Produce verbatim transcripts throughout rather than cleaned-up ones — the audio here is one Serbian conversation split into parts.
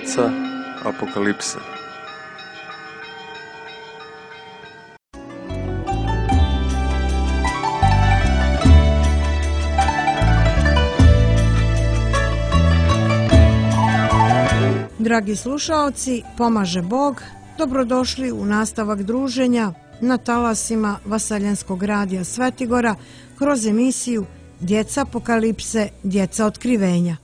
Djeca apokalipse. Dragi slušaoci, pomaže Bog, dobrodošli u nastavak druženja na talasima Vaseljenskog radija Svetigora kroz emisiju Djeca apokalipse, djeca otkrivenja.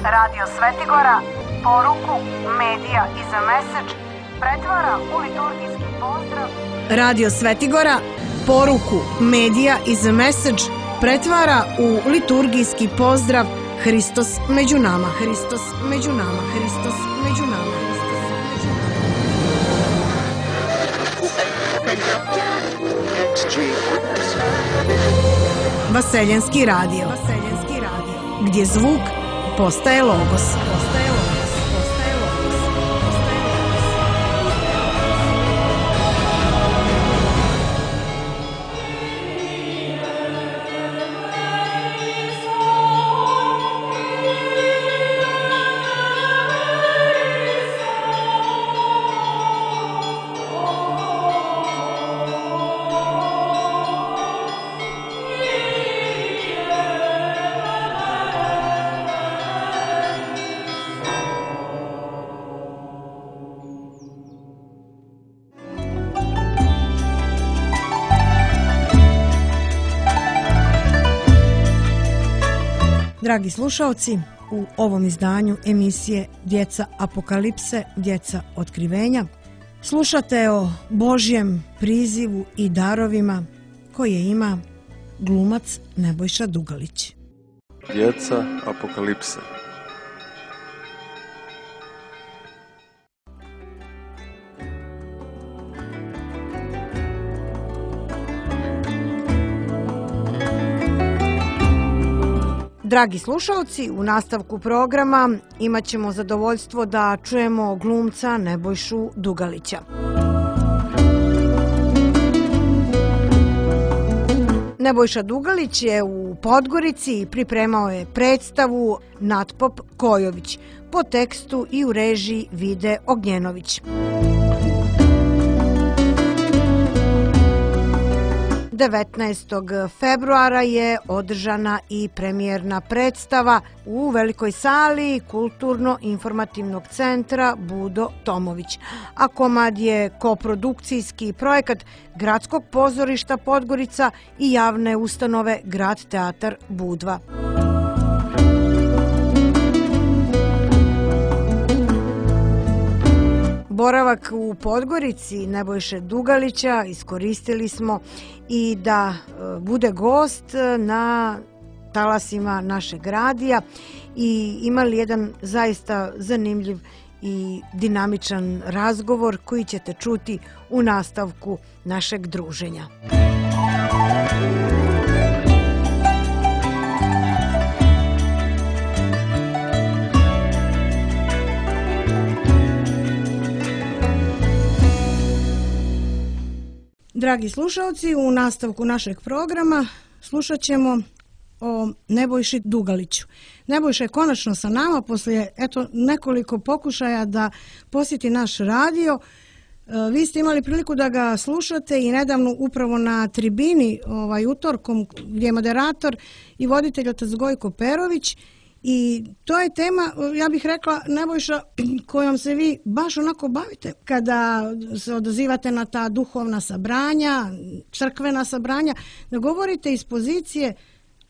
Radio Svetigora poruku Medija is a Message pretvara u liturgijski pozdrav. Radio Svetigora poruku Medija is a Message pretvara u liturgijski pozdrav Hristos među nama, Hristos među nama, Hristos među nama, Hristos među nama. Vaseljenski radio, Vaseljenski radio, gdje zvuk postaje logos. Postaje logos. Postaje logos. Postaje Dragi slušaoci, u ovom izdanju emisije Djeca apokalipse, djeca otkrivenja slušate o Božjem prizivu i darovima koje ima glumac Nebojša Dugalić. Djeca apokalipse. Dragi slušalci, u nastavku programa imat ćemo zadovoljstvo da čujemo glumca Nebojšu Dugalića. Nebojša Dugalić je u Podgorici i pripremao je predstavu Natpop Kojović po tekstu i u režiji Vide Ognjenović. devetnaestog februara je održana i premijerna predstava u velikoj sali Kulturno-informativnog centra Budo Tomović, a komad je koprodukcijski projekat Gradskog pozorišta Podgorica i javne ustanove Grad teatar Budva. Boravak u Podgorici Nebojše Dugalića iskoristili smo i da bude gost na talasima našeg radija i imali jedan zaista zanimljiv i dinamičan razgovor koji ćete čuti u nastavku našeg druženja. Dragi slušalci, u nastavku našeg programa slušat ćemo o Nebojši Dugaliću. Nebojša je konačno sa nama poslije eto, nekoliko pokušaja da posjeti naš radio. Vi ste imali priliku da ga slušate i nedavno upravo na tribini ovaj, utorkom gdje je moderator i voditelj otac Gojko Perović. I to je tema, ja bih rekla, Nebojša, kojom se vi baš onako bavite kada se odazivate na ta duhovna sabranja, crkvena sabranja, da govorite iz pozicije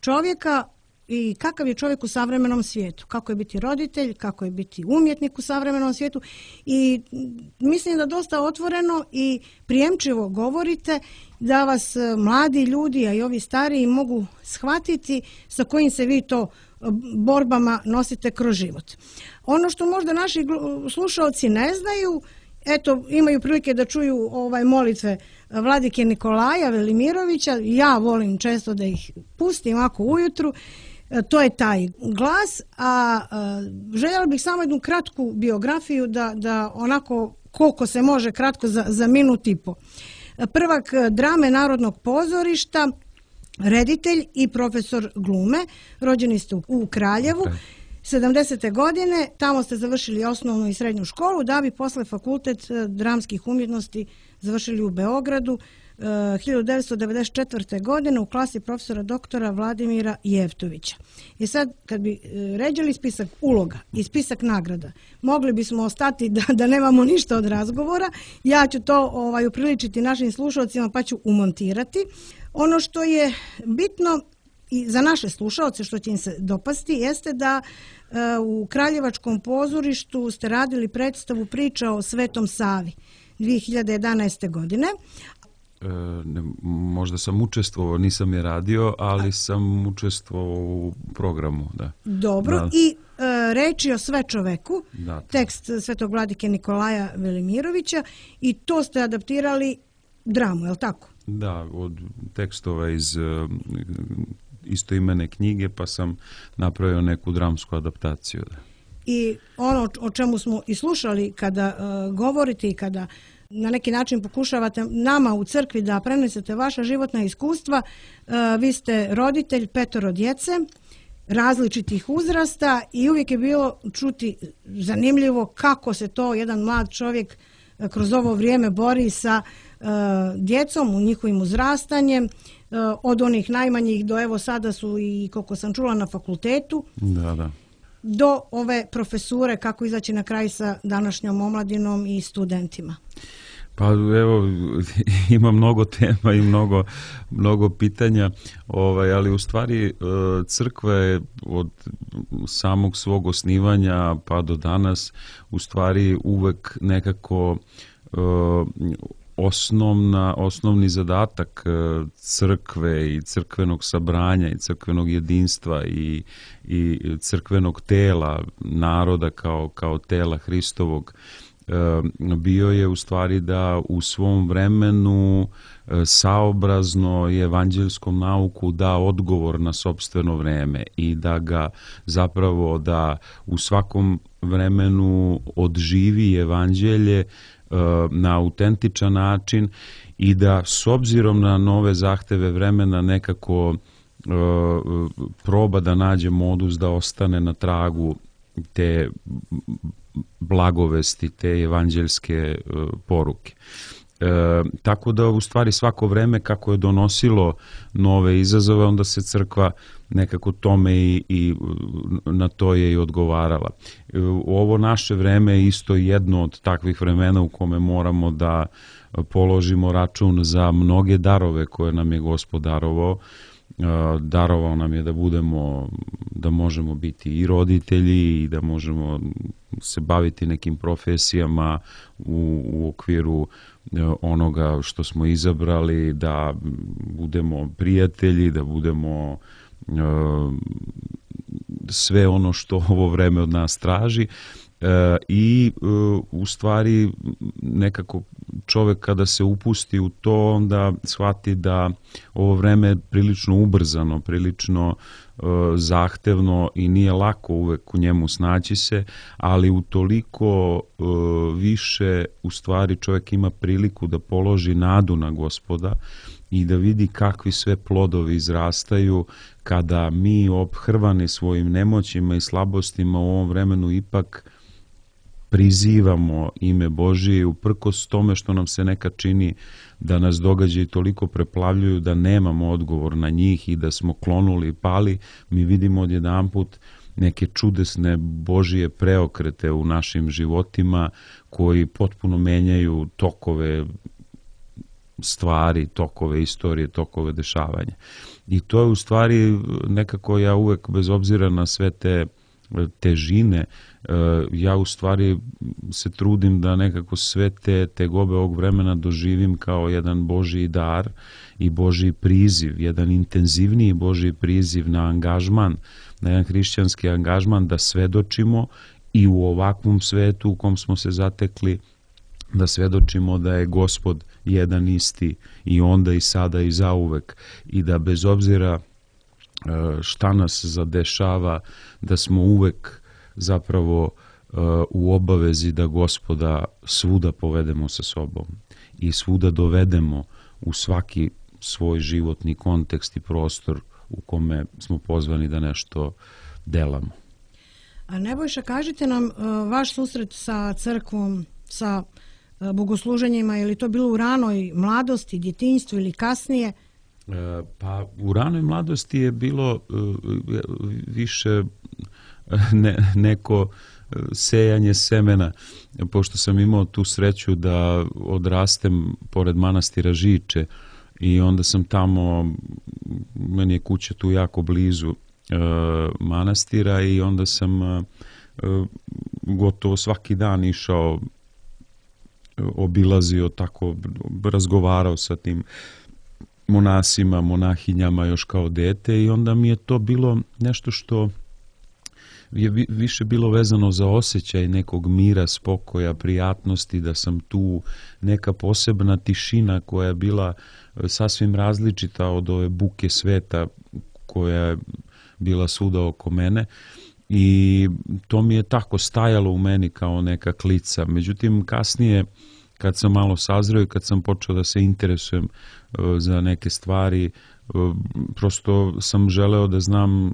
čovjeka i kakav je čovjek u savremenom svijetu, kako je biti roditelj, kako je biti umjetnik u savremenom svijetu i mislim da dosta otvoreno i prijemčivo govorite da vas mladi ljudi, a i ovi stariji mogu shvatiti sa kojim se vi to borbama nosite kroz život. Ono što možda naši slušalci ne znaju, eto, imaju prilike da čuju ovaj molitve vladike Nikolaja Velimirovića, ja volim često da ih pustim ako ujutru, to je taj glas, a željela bih samo jednu kratku biografiju da, da onako koliko se može kratko za, za minut i po. Prvak drame Narodnog pozorišta, reditelj i profesor glume, rođeni ste u Kraljevu, sedamdesete godine, tamo ste završili osnovnu i srednju školu, da bi posle fakultet dramskih umjetnosti završili u Beogradu hiljadu devetsto devedeset četvrte. godine u klasi profesora doktora Vladimira Jevtovića. I sad, kad bi ređali spisak uloga i spisak nagrada, mogli bismo ostati da, da nemamo ništa od razgovora. Ja ću to ovaj, upriličiti našim slušalcima pa ću umontirati. Ono što je bitno i za naše slušalce, što će im se dopasti, jeste da e, u Kraljevačkom pozorištu ste radili predstavu Priča o Svetom Savi dvije hiljade jedanaeste. godine. E, ne, možda sam učestvovao, nisam je radio, ali sam učestvovao u programu. Da. Dobro, da. I e, reči o sve čoveku, da, tekst svetog vladike Nikolaja Velimirovića, i to ste adaptirali dramu, je li tako? Da, od tekstova iz uh, istoimene knjige, pa sam napravio neku dramsku adaptaciju. Da. I ono o čemu smo i slušali kada uh, govorite i kada na neki način pokušavate nama u crkvi da prenesete vaša životna iskustva, uh, vi ste roditelj petoro djece, različitih uzrasta, i uvijek je bilo čuti zanimljivo kako se to jedan mlad čovjek uh, kroz ovo vrijeme bori sa uh, djecom, u njihovim uzrastanjem, uh, od onih najmanjih do evo sada su i, koliko sam čula, na fakultetu. Da, da. Do ove profesure, kako izaći na kraj sa današnjom omladinom i studentima? Pa evo, ima mnogo tema i mnogo, mnogo pitanja, ovaj, ali u stvari crkva je od samog svog osnivanja pa do danas u stvari uvek nekako osnovna, osnovni zadatak crkve i crkvenog sabranja i crkvenog jedinstva i, i crkvenog tela naroda kao, kao tela Hristovog bio je u stvari da u svom vremenu saobrazno i evanđelskom nauku da odgovor na sopstveno vreme i da ga zapravo da u svakom vremenu odživi evanđelje na autentičan način i da s obzirom na nove zahteve vremena nekako proba da nađe modus da ostane na tragu te blagovesti, te evanđelske poruke. E, tako da u stvari svako vreme kako je donosilo nove izazove, onda se crkva nekako tome i, i na to je i odgovarala. E, ovo naše vreme je isto jedno od takvih vremena u kome moramo da položimo račun za mnoge darove koje nam je Gospod darovao. Darovao nam je da budemo, da možemo biti i roditelji i da možemo se baviti nekim profesijama u, u okviru onoga što smo izabrali, da budemo prijatelji, da budemo uh, sve ono što ovo vreme od nas traži. Uh, i uh, u stvari nekako čovjek kada se upusti u to, onda shvati da ovo vreme je prilično ubrzano, prilično uh, zahtevno i nije lako uvek u njemu snaći se, ali utoliko uh, više u stvari čovjek ima priliku da položi nadu na Gospoda i da vidi kakvi sve plodovi izrastaju kada mi ophrvani svojim nemoćima i slabostima u ovom vremenu ipak prizivamo ime Božije i uprkos tome što nam se nekad čini da nas događaji toliko preplavljuju da nemamo odgovor na njih i da smo klonuli i pali, mi vidimo odjedanput neke čudesne Božije preokrete u našim životima koji potpuno menjaju tokove stvari, tokove istorije, tokove dešavanja. I to je u stvari nekako ja uvek, bez obzira na sve te težine, ja u stvari se trudim da nekako sve te tegobe ovog vremena doživim kao jedan Božji dar i Božji priziv, jedan intenzivniji Božji priziv na angažman na jedan hrišćanski angažman da svedočimo i u ovakvom svetu u kom smo se zatekli, da svedočimo da je Gospod jedan isti i onda i sada i zauvek i da bez obzira šta nas zadešava, da smo uvek zapravo u obavezi da Gospoda svuda povedemo sa sobom i svuda dovedemo u svaki svoj životni kontekst i prostor u kome smo pozvani da nešto delamo. A Nebojša, kažite nam vaš susret sa crkvom, sa bogosluženjima, je li to bilo u ranoj mladosti, djetinjstvu ili kasnije? Pa u ranoj mladosti je bilo više ne, neko sejanje semena, pošto sam imao tu sreću da odrastem pored manastira Žiče i onda sam tamo, meni je kuća tu jako blizu e, manastira i onda sam e, gotovo svaki dan išao, obilazio tako, razgovarao sa tim monasima, monahinjama još kao dete i onda mi je to bilo nešto što je više bilo vezano za osjećaj nekog mira, spokoja, prijatnosti, da sam tu, neka posebna tišina koja je bila sasvim različita od ove buke sveta koja je bila svuda oko mene i to mi je tako stajalo u meni kao neka klica. Međutim, kasnije kad sam malo sazreo i kad sam počeo da se interesujem za neke stvari, prosto sam želeo da znam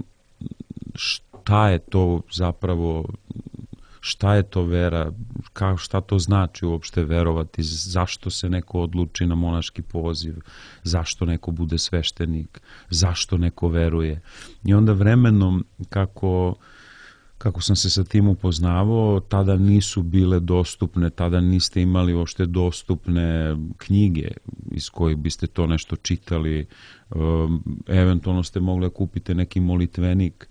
šta je to zapravo, šta je to vera, ka, šta to znači uopšte verovati, zašto se neko odluči na monaški poziv, zašto neko bude sveštenik, zašto neko veruje. I onda vremenom kako, kako sam se sa tim upoznavao, tada nisu bile dostupne, tada niste imali uopšte dostupne knjige iz kojih biste to nešto čitali, eventualno ste mogli da kupite neki molitvenik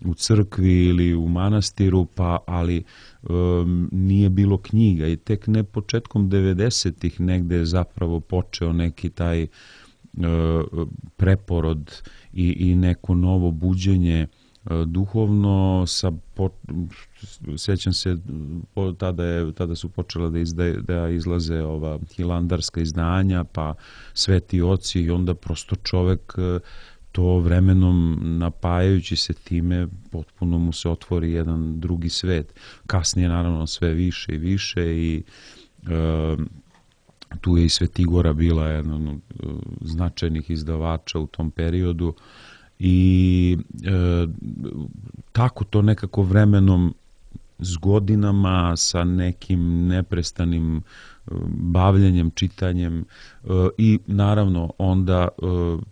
u crkvi ili u manastiru, pa ali um, nije bilo knjiga i tek ne početkom devedesetih negde je zapravo počeo neki taj uh, preporod i, i neko novo buđenje uh, duhovno sa po, sjećam se po, tada, je, tada su počela da, izda, da izlaze ova hilandarska izdanja pa sveti oci i onda prosto čovek uh, to vremenom napajajući se time potpuno mu se otvori jedan drugi svet. Kasnije naravno sve više i više i e, tu je i Svetigora bila jedan od značajnih izdavača u tom periodu i e, tako to nekako vremenom s godinama sa nekim neprestanim bavljenjem, čitanjem e, i naravno onda e,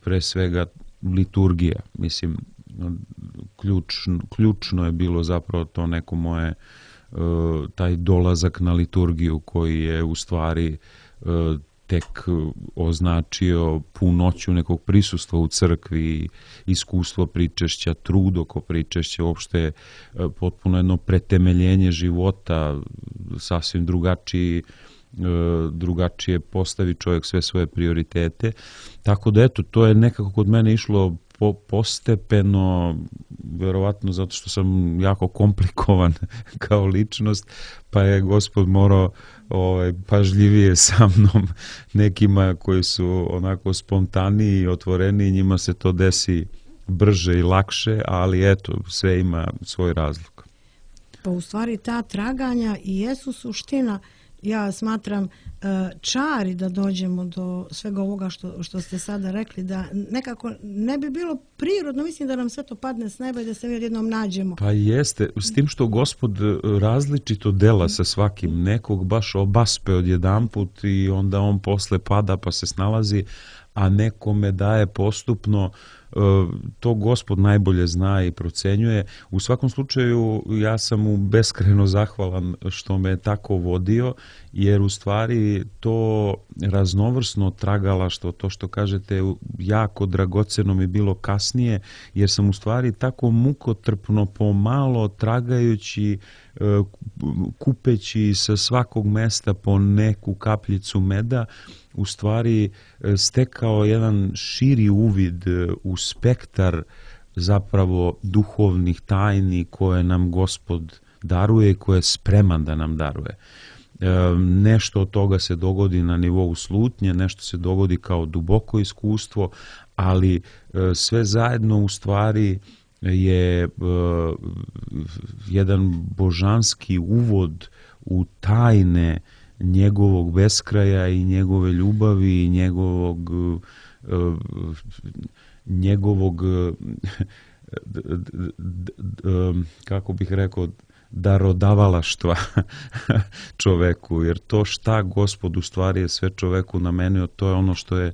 pre svega liturgija, mislim, ključno, ključno je bilo zapravo to neko moje, taj dolazak na liturgiju koji je u stvari tek označio punoću nekog prisustva u crkvi, iskustvo pričešća, trud oko pričešća, uopšte potpuno jedno pretemeljenje života, sasvim drugačiji drugačije postavi čovjek sve svoje prioritete. Tako da eto, to je nekako kod mene išlo po, postepeno, verovatno zato što sam jako komplikovan kao ličnost, pa je Gospod morao ovaj, pažljivije sa mnom, nekima koji su onako spontaniji i otvoreniji, njima se to desi brže i lakše, ali eto, sve ima svoj razlog. Pa u stvari ta traganja i jesu suština, ja smatram, čari da dođemo do svega ovoga što, što ste sada rekli, da nekako ne bi bilo prirodno, mislim da nam sve to padne s neba i da se mi jednom nađemo. Pa jeste, s tim što Gospod različito dela sa svakim, nekog baš obaspe odjedanput i onda on posle pada pa se snalazi, a nekome daje postupno, to Gospod najbolje zna i procenjuje. U svakom slučaju ja sam mu beskrajno zahvalan što me tako vodio, jer u stvari to raznovrsno tragalaštvo, to što kažete, jako dragoceno mi bilo kasnije, jer sam u stvari tako mukotrpno pomalo tragajući, kupeći sa svakog mesta po neku kapljicu meda, u stvari stekao jedan širi uvid u spektar zapravo duhovnih tajni koje nam Gospod daruje i koje je spreman da nam daruje. E, nešto od toga se dogodi na nivou slutnje, nešto se dogodi kao duboko iskustvo, ali e, sve zajedno u stvari je e, jedan božanski uvod u tajne njegovog beskraja i njegove ljubavi i njegovog e, njegovog kako bih rekao darodavalaštva čoveku, jer to šta Gospod u stvari je sve čoveku namenio, to je ono što je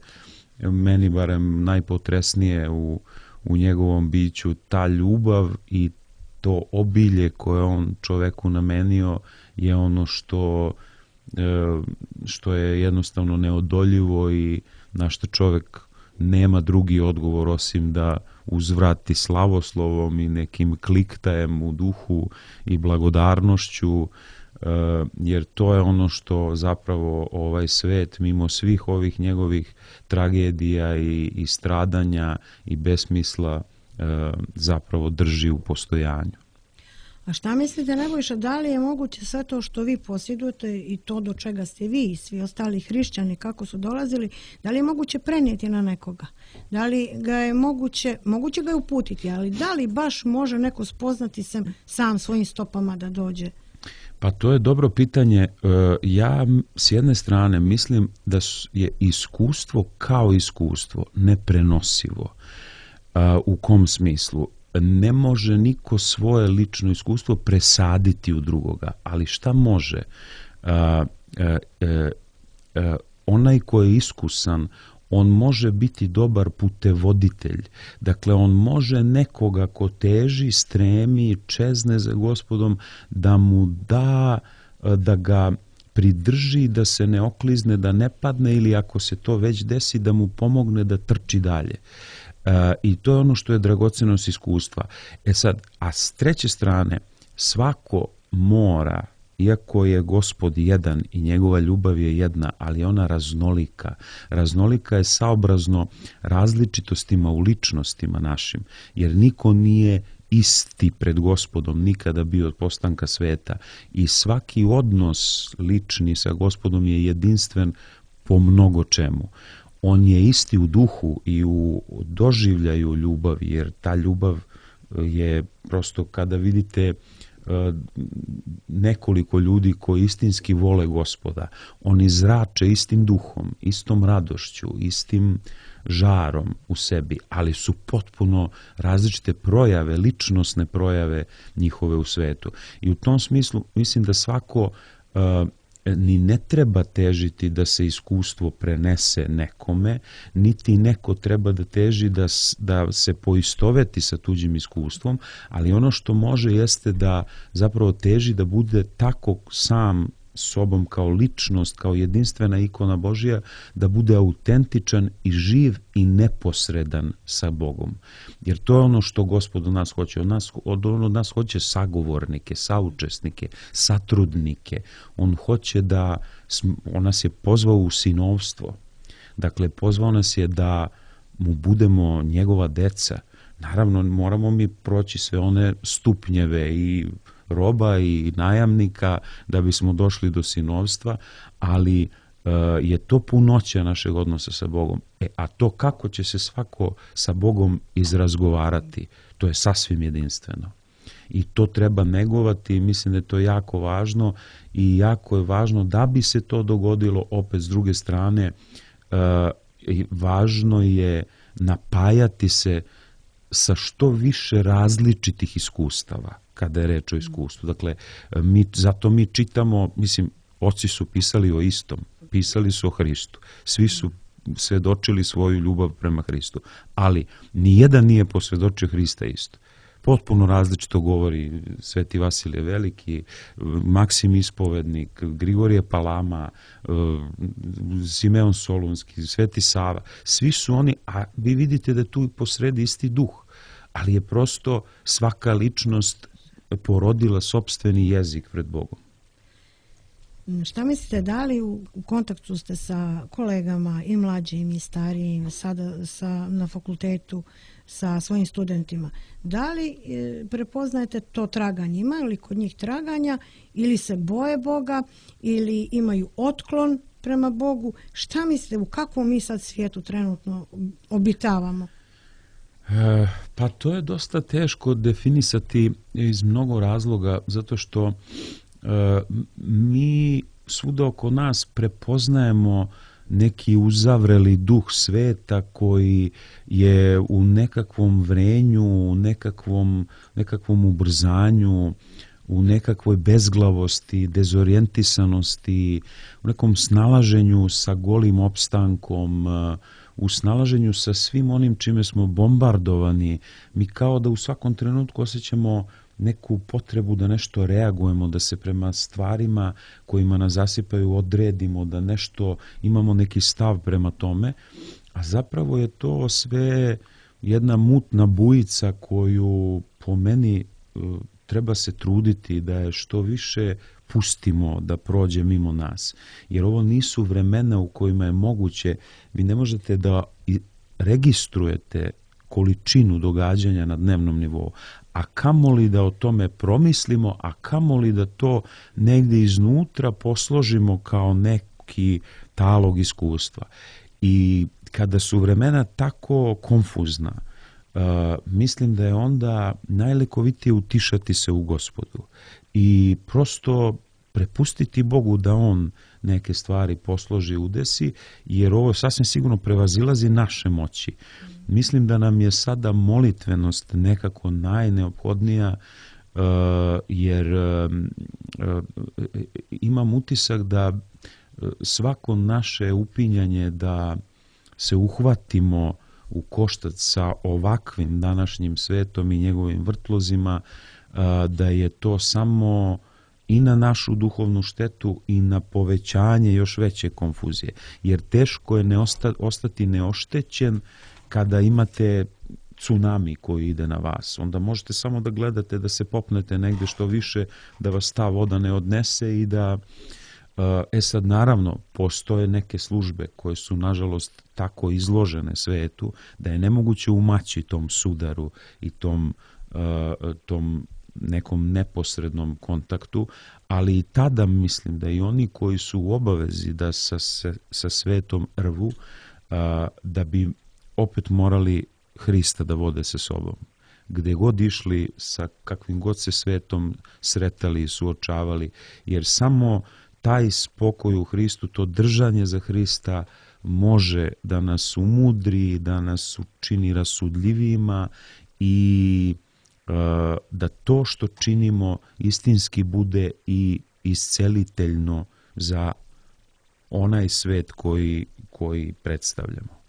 meni barem najpotresnije u, u njegovom biću, ta ljubav i to obilje koje on čoveku namenio je ono što, što je jednostavno neodoljivo i na što čovek nema drugi odgovor osim da uzvrati slavoslovom i nekim kliktajem u duhu i blagodarnošću, jer to je ono što zapravo ovaj svet, mimo svih ovih njegovih tragedija i, i stradanja i besmisla, zapravo drži u postojanju. A šta mislite, Nebojša, da li je moguće sve to što vi posjedujete i to do čega ste vi i svi ostali hrišćani kako su dolazili, da li je moguće prenijeti na nekoga? Da li ga je moguće, moguće ga je uputiti, ali da li baš može neko spoznati se sam svojim stopama da dođe? Pa to je dobro pitanje. Ja s jedne strane mislim da je iskustvo kao iskustvo neprenosivo. U kom smislu? Ne može niko svoje lično iskustvo presaditi u drugoga, ali šta može? A, a, a, a, onaj ko je iskusan, on može biti dobar putevoditelj. Dakle, on može nekoga ko teži, stremi, čezne za Gospodom, da mu da, da ga pridrži, da se ne oklizne, da ne padne, ili ako se to već desi, da mu pomogne da trči dalje. E, I to je ono što je dragocenost iskustva. E sad, a s treće strane, svako mora, iako je Gospod jedan i njegova ljubav je jedna, ali ona raznolika. Raznolika je saobrazno različitostima u ličnostima našim, jer niko nije isti pred Gospodom nikada bio od postanka sveta i svaki odnos lični sa Gospodom je jedinstven po mnogo čemu. On je isti u duhu i u doživljaju ljubavi, jer ta ljubav je prosto kada vidite nekoliko ljudi koji istinski vole Gospoda, oni zrače istim duhom, istom radošću, istim žarom u sebi, ali su potpuno različite projave, ličnosne projave njihove u svetu. I u tom smislu mislim da svako uh, ni ne treba težiti da se iskustvo prenese nekome, niti neko treba da teži da, da se poistoveti sa tuđim iskustvom, ali ono što može jeste da zapravo teži da bude tako sam sobom kao ličnost, kao jedinstvena ikona Božja, da bude autentičan i živ i neposredan sa Bogom. Jer to je ono što Gospod od nas hoće. Od nas, od, on od nas hoće sagovornike, saučesnike, satrudnike. On hoće da, on nas je pozvao u sinovstvo. Dakle, pozvao nas je da mu budemo njegova deca. Naravno, moramo mi proći sve one stupnjeve i roba i najamnika da bismo došli do sinovstva, ali uh, je to punoća našeg odnosa sa Bogom. E, a to kako će se svako sa Bogom izrazgovarati, to je sasvim jedinstveno. I to treba negovati i mislim da je to jako važno i jako je važno da bi se to dogodilo, opet s druge strane, uh, važno je napajati se sa što više različitih iskustava kada je reč o iskustvu. Dakle, mi, zato mi čitamo, mislim, oci su pisali o istom, pisali su o Hristu, svi su svedočili svoju ljubav prema Hristu, ali nijedan nije posvedočio Hrista isto. Potpuno različito govori Sveti Vasilije Veliki, Maksim Ispovednik, Grigorije Palama, Simeon Solunski, Sveti Sava. Svi su oni, a vi vidite da je tu posredi isti duh, ali je prosto svaka ličnost porodila sopstveni jezik pred Bogom. Šta mislite, da li u, u kontaktu ste sa kolegama i mlađim i starijim, sada sa, na fakultetu, sa svojim studentima. Da li e, prepoznajete to traganje? Ima li kod njih traganja ili se boje Boga ili imaju otklon prema Bogu? Šta mislite, u kakvom mi sad svijetu trenutno obitavamo? E, pa to je dosta teško definisati iz mnogo razloga, zato što e, mi svuda oko nas prepoznajemo neki uzavreli duh sveta koji je u nekakvom vrenju, u nekakvom, nekakvom ubrzanju, u nekakvoj bezglavosti, dezorijentisanosti, u nekom snalaženju sa golim opstankom, u snalaženju sa svim onim čime smo bombardovani. Mi kao da u svakom trenutku osjećamo neku potrebu da nešto reagujemo, da se prema stvarima kojima nas zasipaju odredimo, da nešto imamo neki stav prema tome, a zapravo je to sve jedna mutna bujica koju po meni treba se truditi da je što više pustimo da prođe mimo nas. Jer ovo nisu vremena u kojima je moguće, vi ne možete da registrujete količinu događanja na dnevnom nivou, a kamoli da o tome promislimo, a kamoli da to negdje iznutra posložimo kao neki talog iskustva. I kada su vremena tako konfuzna, uh, mislim da je onda najlekovitije utišati se u Gospodu i prosto prepustiti Bogu da On neke stvari posloži, udesi, jer ovo sasvim sigurno prevazilazi naše moći. Mislim da nam je sada molitvenost nekako najneophodnija, uh, jer uh, uh, imam utisak da svako naše upinjanje da se uhvatimo u koštac sa ovakvim današnjim svetom i njegovim vrtlozima, uh, da je to samo i na našu duhovnu štetu i na povećanje još veće konfuzije. Jer teško je ne osta, ostati neoštećen kada imate tsunami koji ide na vas. Onda možete samo da gledate da se popnete negdje što više, da vas ta voda ne odnese i da... E sad, naravno, postoje neke službe koje su, nažalost, tako izložene svetu da je nemoguće umaći tom sudaru i tom, tom nekom neposrednom kontaktu, ali i tada mislim da i oni koji su u obavezi da sa, sa svetom rvu, da bi opet morali Hrista da vode sa sobom. Gde god išli, sa kakvim god se svetom sretali i suočavali, jer samo taj spokoj u Hristu, to držanje za Hrista može da nas umudri, da nas učini rasudljivijima i uh, da to što činimo istinski bude i isceliteljno za onaj svet koji, koji predstavljamo.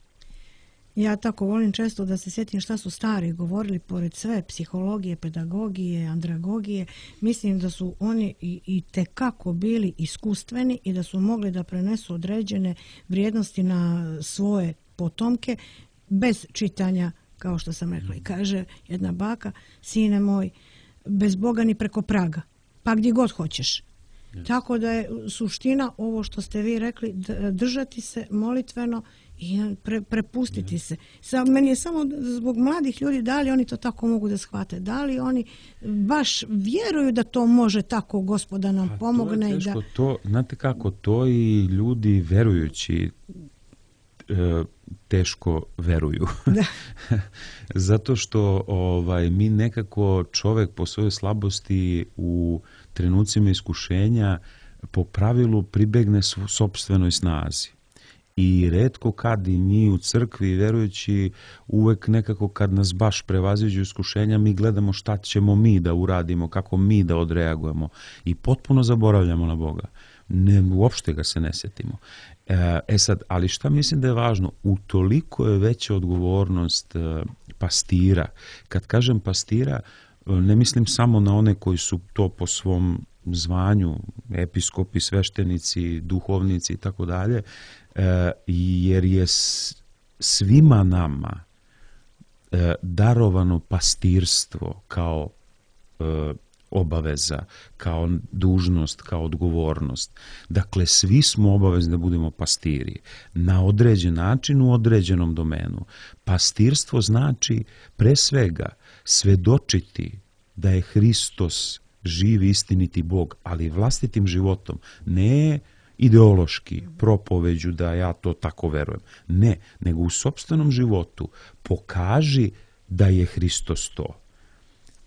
Ja tako volim često da se sjetim šta su stari govorili, pored sve psihologije, pedagogije, andragogije. Mislim da su oni i, i tekako bili iskustveni i da su mogli da prenesu određene vrijednosti na svoje potomke bez čitanja, kao što sam rekla. I kaže jedna baka, sine moj, bez Boga ni preko praga, pa gdje god hoćeš. Yes. Tako da je suština ovo što ste vi rekli, držati se molitveno i pre, prepustiti se. Sa, meni je samo zbog mladih ljudi, da li oni to tako mogu da shvate, da li oni baš vjeruju da to može tako Gospoda nam pomogne. To je teško, i da... to, znate kako, to i ljudi verujući e, teško veruju. Da. Zato što ovaj, mi nekako čovjek po svojoj slabosti u trenucima iskušenja po pravilu pribegne sopstvenoj snazi. I retko kad i mi u crkvi verujući uvek nekako kad nas baš prevaziđu iskušenja mi gledamo šta ćemo mi da uradimo, kako mi da odreagujemo i potpuno zaboravljamo na Boga. Ne, uopšte ga se ne sjetimo. E sad, ali šta mislim da je važno? Utoliko je veća odgovornost pastira. Kad kažem pastira, ne mislim samo na one koji su to po svom zvanju, episkopi, sveštenici, duhovnici i tako dalje, jer je svima nama darovano pastirstvo kao obaveza, kao dužnost, kao odgovornost. Dakle, svi smo obavezni da budemo pastiri na određen način u određenom domenu. Pastirstvo znači pre svega svedočiti da je Hristos živ istiniti Bog, ali vlastitim životom, ne ideološki, propoveđu da ja to tako verujem. Ne, nego u sopstvenom životu pokaži da je Hristos to.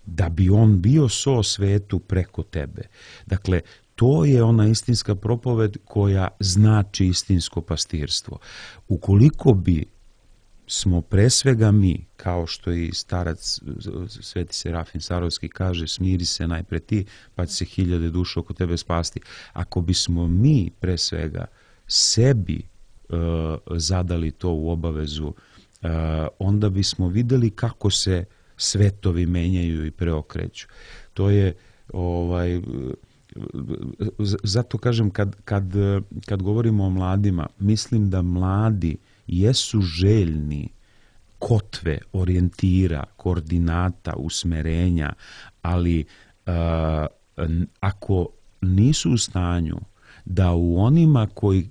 Da bi on bio so svetu preko tebe. Dakle, to je ona istinska propoved koja znači istinsko pastirstvo. Ukoliko bi smo pre svega mi, kao što i starac Sveti Serafim Sarovski kaže, smiri se najpre ti, pa će se hiljade duša oko tebe spasti. Ako bismo mi pre svega sebi uh, zadali to u obavezu, uh, onda bismo videli kako se svetovi menjaju i preokreću. To je, ovaj, zato kažem, kad, kad, kad govorimo o mladima, mislim da mladi jesu željni kotve, orijentira, koordinata, usmerenja, ali uh, ako nisu u stanju da u onima koji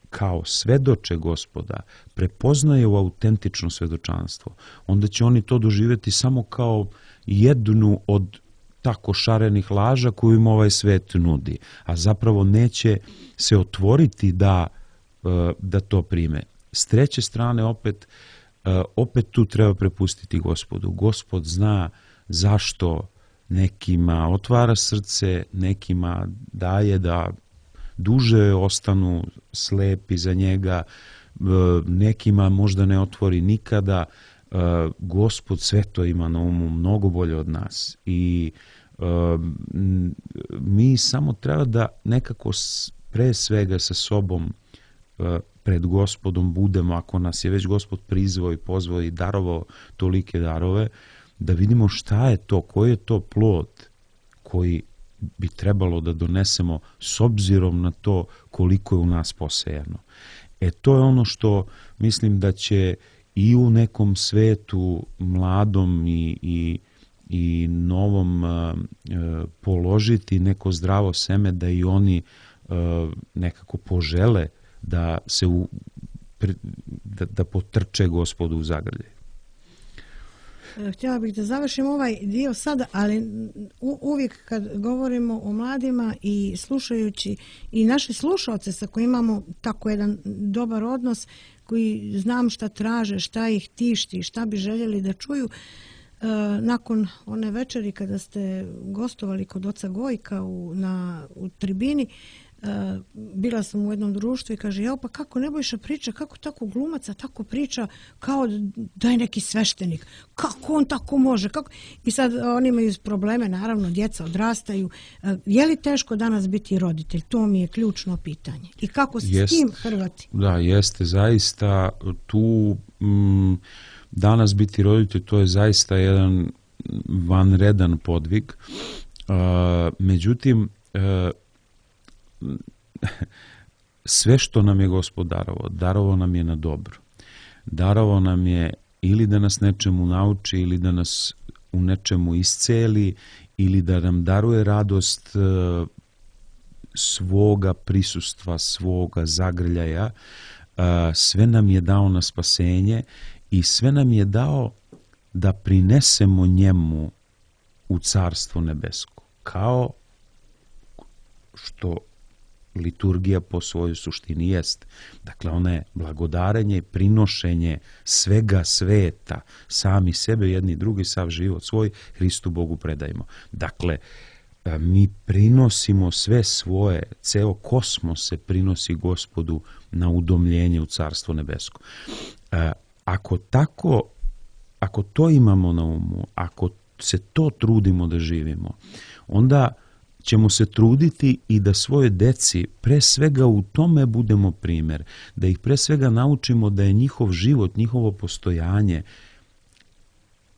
kao svedoče Gospoda prepoznaju autentično svedočanstvo, onda će oni to doživjeti samo kao jednu od tako šarenih laža koju im ovaj svet nudi, a zapravo neće se otvoriti da, da to prime. S treće strane, opet, opet tu treba prepustiti Gospodu. Gospod zna zašto nekima otvara srce, nekima daje da duže ostanu slepi za njega, nekima možda ne otvori nikada. Gospod sve to ima na umu mnogo bolje od nas i mi samo treba da nekako pre svega sa sobom pred Gospodom budemo, ako nas je već Gospod prizvao i pozvao i darovao tolike darove, da vidimo šta je to, koji je to plod koji bi trebalo da donesemo s obzirom na to koliko je u nas posejano. E to je ono što mislim da će i u nekom svetu mladom i, i, i novom uh, položiti neko zdravo seme da i oni uh, nekako požele da se u, da, da potrče Gospodu u zagrljaj. Htjela bih da završim ovaj dio sada, ali uvijek kad govorimo o mladima i slušajući i naše slušalce sa kojima imamo tako jedan dobar odnos, koji znam šta traže, šta ih tišti, šta bi željeli da čuju, nakon one večeri kada ste gostovali kod oca Gojka u, na, u tribini, bila sam u jednom društvu i kaže, jao, pa kako Nebojša priča, kako tako glumaca tako priča kao da je neki sveštenik, kako on tako može, kako... I sad oni imaju probleme, naravno, djeca odrastaju. Je li teško danas biti roditelj? To mi je ključno pitanje. I kako se Jest, s tim hrvati? Da, jeste, zaista tu m, danas biti roditelj, to je zaista jedan vanredan podvig. Uh, međutim, uh, sve što nam je Gospod darovao, darovao nam je na dobro. Darovao nam je ili da nas nečemu nauči, ili da nas u nečemu isceli, ili da nam daruje radost svoga prisustva, svoga zagrljaja. Sve nam je dao na spasenje i sve nam je dao da prinesemo njemu u Carstvo nebesko. Kao što liturgija po svojoj suštini jest. Dakle, ona je blagodarenje i prinošenje svega sveta, sami sebe, jedni drugi, sav život svoj, Hristu Bogu predajemo. Dakle, mi prinosimo sve svoje, ceo kosmos se prinosi Gospodu na udomljenje u Carstvo nebesko. Ako tako, ako to imamo na umu, ako se to trudimo da živimo, onda ćemo se truditi i da svoje deci pre svega u tome budemo primjer, da ih pre svega naučimo da je njihov život, njihovo postojanje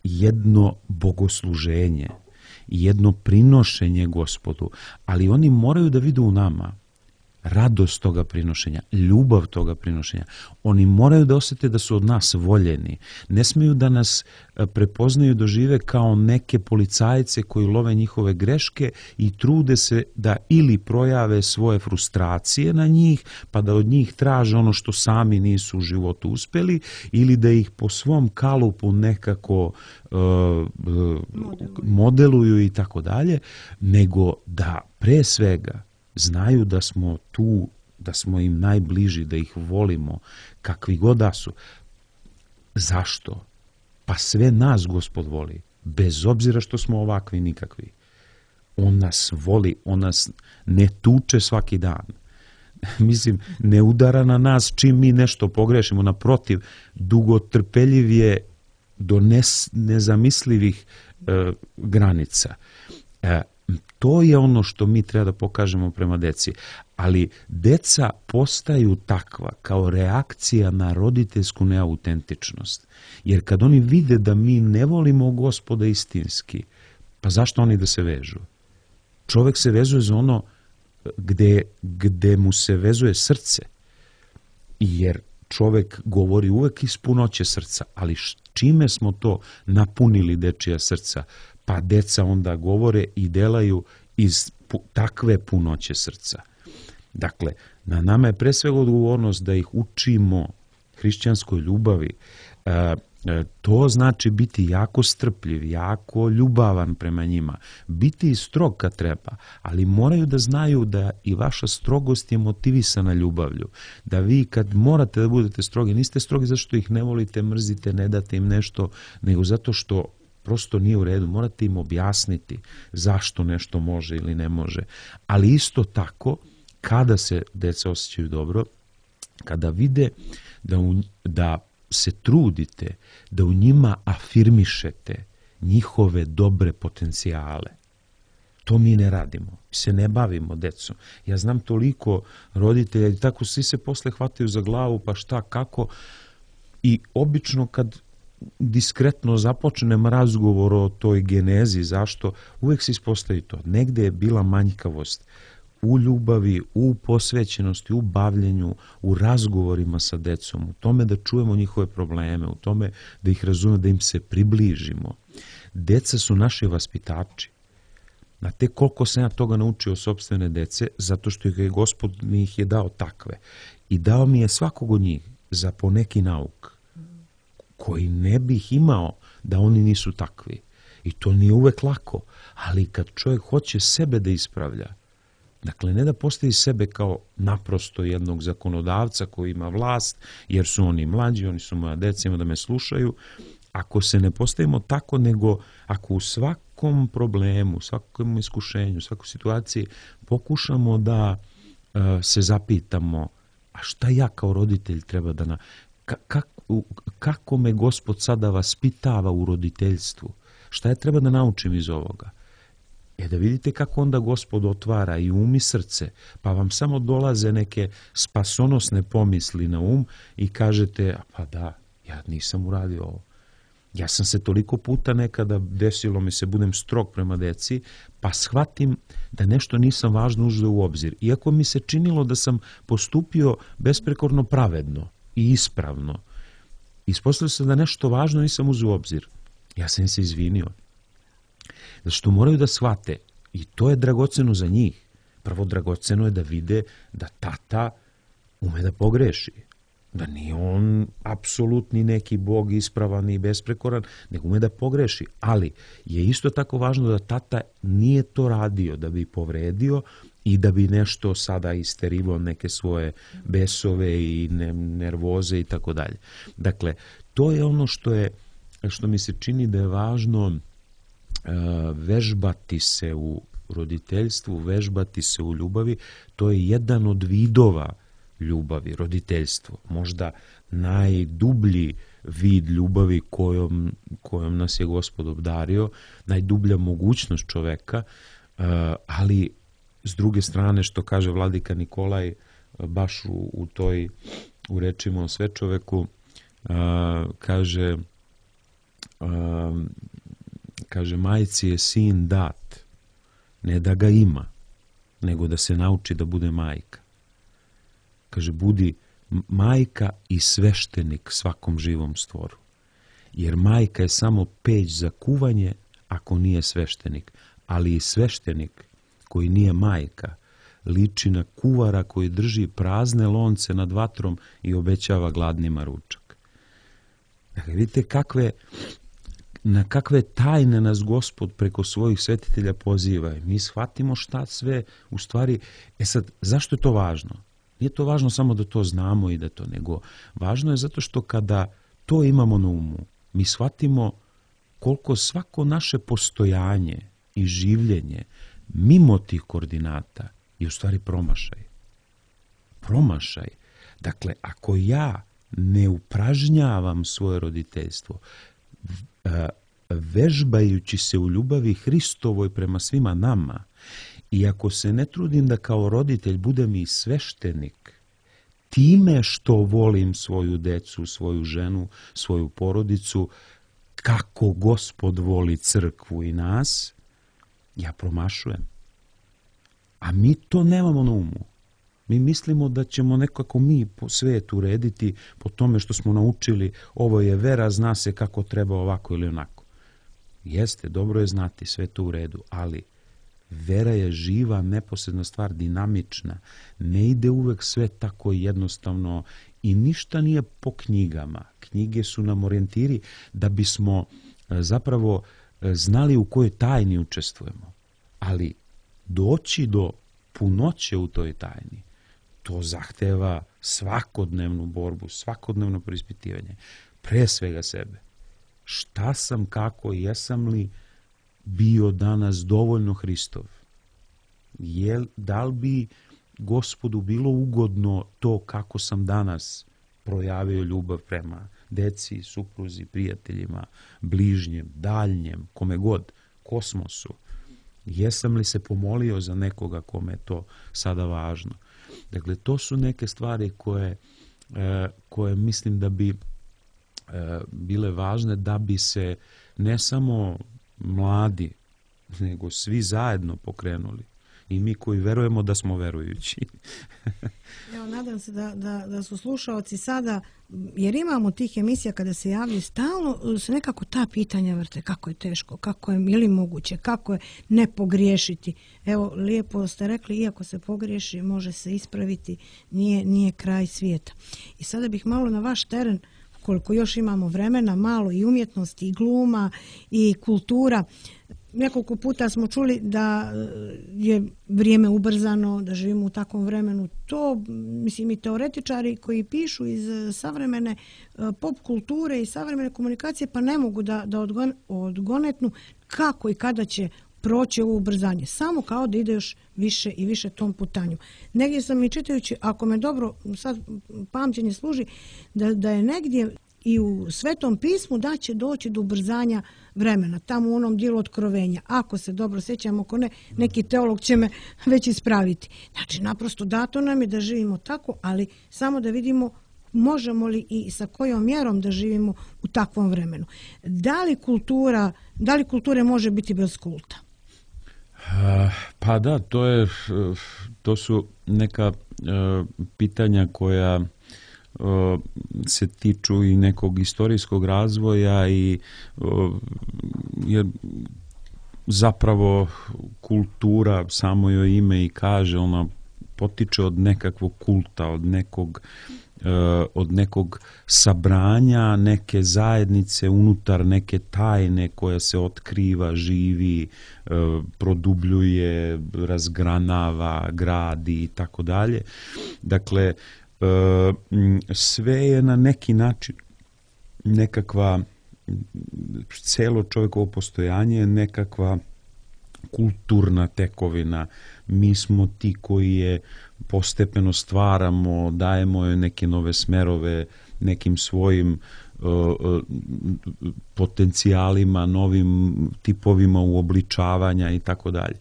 jedno bogosluženje, jedno prinošenje Gospodu, ali oni moraju da vide u nama radost toga prinošenja, ljubav toga prinošenja. Oni moraju da osjete da su od nas voljeni. Ne smiju da nas prepoznaju, dožive kao neke policajce koji love njihove greške i trude se da ili projave svoje frustracije na njih, pa da od njih traže ono što sami nisu u životu uspeli, ili da ih po svom kalupu nekako uh, uh, modeluju i tako dalje, nego da pre svega znaju da smo tu, da smo im najbliži, da ih volimo, kakvi god da su. Zašto? Pa sve nas Gospod voli, bez obzira što smo ovakvi nikakvi. On nas voli, on nas ne tuče svaki dan. Mislim, ne udara na nas čim mi nešto pogrešimo, naprotiv, dugotrpeljiv je do nes, nezamislivih e, granica. E, To je ono što mi treba da pokažemo prema deci. Ali deca postaju takva kao reakcija na roditeljsku neautentičnost. Jer kad oni vide da mi ne volimo Gospoda istinski, pa zašto oni da se vežu? Čovek se vezuje za ono gde, gde mu se vezuje srce. Jer čovek govori uvek iz punoće srca, ali čime smo to napunili dečija srca? Pa deca onda govore i delaju iz takve punoće srca. Dakle, na nama je pre svega odgovornost da ih učimo hrišćanskoj ljubavi. E, to znači biti jako strpljiv, jako ljubavan prema njima, biti i strog kad treba, ali moraju da znaju da i vaša strogost je motivisana ljubavlju. Da vi kad morate da budete strogi, niste strogi zato što ih ne volite, mrzite, ne date im nešto, nego zato što prosto nije u redu. Morate im objasniti zašto nešto može ili ne može. Ali isto tako, kada se deca osjećaju dobro, kada vide da, u, da se trudite, da u njima afirmišete njihove dobre potencijale. To mi ne radimo. Mi se ne bavimo decom. Ja znam toliko roditelja i tako svi se posle hvataju za glavu, pa šta, kako. I obično kad diskretno započnem razgovor o toj genezi, zašto, uvek se ispostavi to. Negde je bila manjkavost u ljubavi, u posvećenosti, u bavljenju, u razgovorima sa decom, u tome da čujemo njihove probleme, u tome da ih razumemo, da im se približimo. Deca su naši vaspitači. Znate koliko sam ja toga naučio o sopstvene dece, zato što je Gospod mi ih je dao takve. I dao mi je svakog od njih za poneki nauk, koji ne bih imao da oni nisu takvi. I to nije uvek lako, ali kad čovjek hoće sebe da ispravlja, dakle, ne da postavi sebe kao naprosto jednog zakonodavca koji ima vlast, jer su oni mlađi, oni su moja deca, ima da me slušaju. Ako se ne postavimo tako, nego ako u svakom problemu, svakom iskušenju, svakoj situaciji pokušamo da uh, se zapitamo, a šta ja kao roditelj treba da... Na, ka, kak, u, kako me Gospod sada vaspitava u roditeljstvu? Šta ja treba da naučim iz ovoga? E da vidite kako onda Gospod otvara i um i srce, pa vam samo dolaze neke spasonosne pomisli na um i kažete, pa da, ja nisam uradio ovo. Ja sam se toliko puta nekada desilo mi se, budem strog prema deci, pa shvatim da nešto nisam važno uzeo u obzir. Iako mi se činilo da sam postupio besprekorno pravedno i ispravno, ispostavilo se da nešto važno nisam uzeo u obzir. Ja sam se izvinio. Zato što moraju da shvate, i to je dragoceno za njih. Prvo dragoceno je da vide da tata ume da pogreši. Da nije on apsolutni neki bog ispravan i besprekoran, nego ume da pogreši. Ali je isto tako važno da tata nije to radio da bi povredio i da bi nešto sada isterivao neke svoje besove i nervoze i tako dalje. Dakle, to je ono što je, što mi se čini da je važno vežbati se u roditeljstvu, vežbati se u ljubavi. To je jedan od vidova ljubavi, roditeljstvo. Možda najdublji vid ljubavi kojom, kojom nas je Gospod obdario, najdublja mogućnost čoveka, ali s druge strane, što kaže vladika Nikolaj, baš u, u toj, u rečima o svečoveku, kaže kaže, majci je sin dat, ne da ga ima, nego da se nauči da bude majka. kaže, budi majka i sveštenik svakom živom stvoru. Jer majka je samo peć za kuvanje ako nije sveštenik, ali i sveštenik koji nije majka liči na kuvara koji drži prazne lonce nad vatrom i obećava gladnima ručak. Dakle, vidite kakve, na kakve tajne nas Gospod preko svojih svetitelja poziva. Mi shvatimo šta sve u stvari. E sad, zašto je to važno? Nije to važno samo da to znamo i da to, nego važno je zato što kada to imamo na umu, mi shvatimo koliko svako naše postojanje i življenje mimo tih koordinata je u stvari promašaj. Promašaj. Dakle, ako ja ne upražnjavam svoje roditeljstvo, vežbajući se u ljubavi Hristovoj prema svima nama, i ako se ne trudim da kao roditelj budem i sveštenik, time što volim svoju decu, svoju ženu, svoju porodicu, kako Gospod voli crkvu i nas, ja promašujem. A mi to nemamo na umu. Mi mislimo da ćemo nekako mi po svetu urediti po tome što smo naučili, ovo je vera, zna se kako treba ovako ili onako. Jeste, dobro je znati, sve to u redu, ali vera je živa, neposredna stvar, dinamična. Ne ide uvek sve tako jednostavno i ništa nije po knjigama. Knjige su nam orijentiri da bismo zapravo znali u kojoj tajni učestvujemo. Ali doći do punoće u toj tajni, to zahteva svakodnevnu borbu, svakodnevno preispitivanje. Pre svega sebe. Šta sam, kako, jesam li bio danas dovoljno Hristov? Je, da li bi Gospodu bilo ugodno to kako sam danas projavio ljubav prema deci, supruzi, prijateljima, bližnjem, daljnjem, kome god, kosmosu? Jesam li se pomolio za nekoga kome je to sada važno? Dakle, to su neke stvari koje, koje mislim da bi bile važne da bi se ne samo mladi, nego svi zajedno pokrenuli. I mi koji verujemo da smo verujući. Evo, nadam se da, da, da su slušaoci sada, jer imamo tih emisija kada se javljaju, stalno se nekako ta pitanja vrte, kako je teško, kako je ili moguće, kako je ne pogriješiti. Evo, lijepo ste rekli, iako se pogriješi, može se ispraviti, nije, nije kraj svijeta. I sada bih malo na vaš teren, koliko još imamo vremena, malo i umjetnosti, i gluma, i kultura. Nekoliko puta smo čuli da je vrijeme ubrzano, da živimo u takvom vremenu. To, mislim, i teoretičari koji pišu iz savremene pop kulture i savremene komunikacije, pa ne mogu da, da odgonetnu kako i kada će proći ovo ubrzanje. Samo kao da ide još više i više tom putanju. Negdje sam i čitajući, ako me dobro sad pamćenje služi, da, da je negdje i u Svetom pismu da će doći do ubrzanja vremena, tamo u onom dijelu Otkrovenja. Ako se dobro sjećam, ako ne, neki teolog će me već ispraviti. Znači, naprosto dato nam je da živimo tako, ali samo da vidimo možemo li i sa kojom mjerom da živimo u takvom vremenu. Da li kultura, da li kulture može biti bez kulta? Pa da, to je, to su neka pitanja koja se tiču i nekog istorijskog razvoja i jer zapravo kultura, samo joj ime i kaže, ona potiče od nekakvog kulta, od nekog od nekog sabranja, neke zajednice unutar neke tajne koja se otkriva, živi, produbljuje, razgranava, gradi i tako dalje. Dakle, sve je na neki način nekakva, celo čovjekovo postojanje je nekakva kulturna tekovina. Mi smo ti koji je postepeno stvaramo, dajemo joj neke nove smerove, nekim svojim uh, potencijalima, novim tipovima uobličavanja i tako dalje.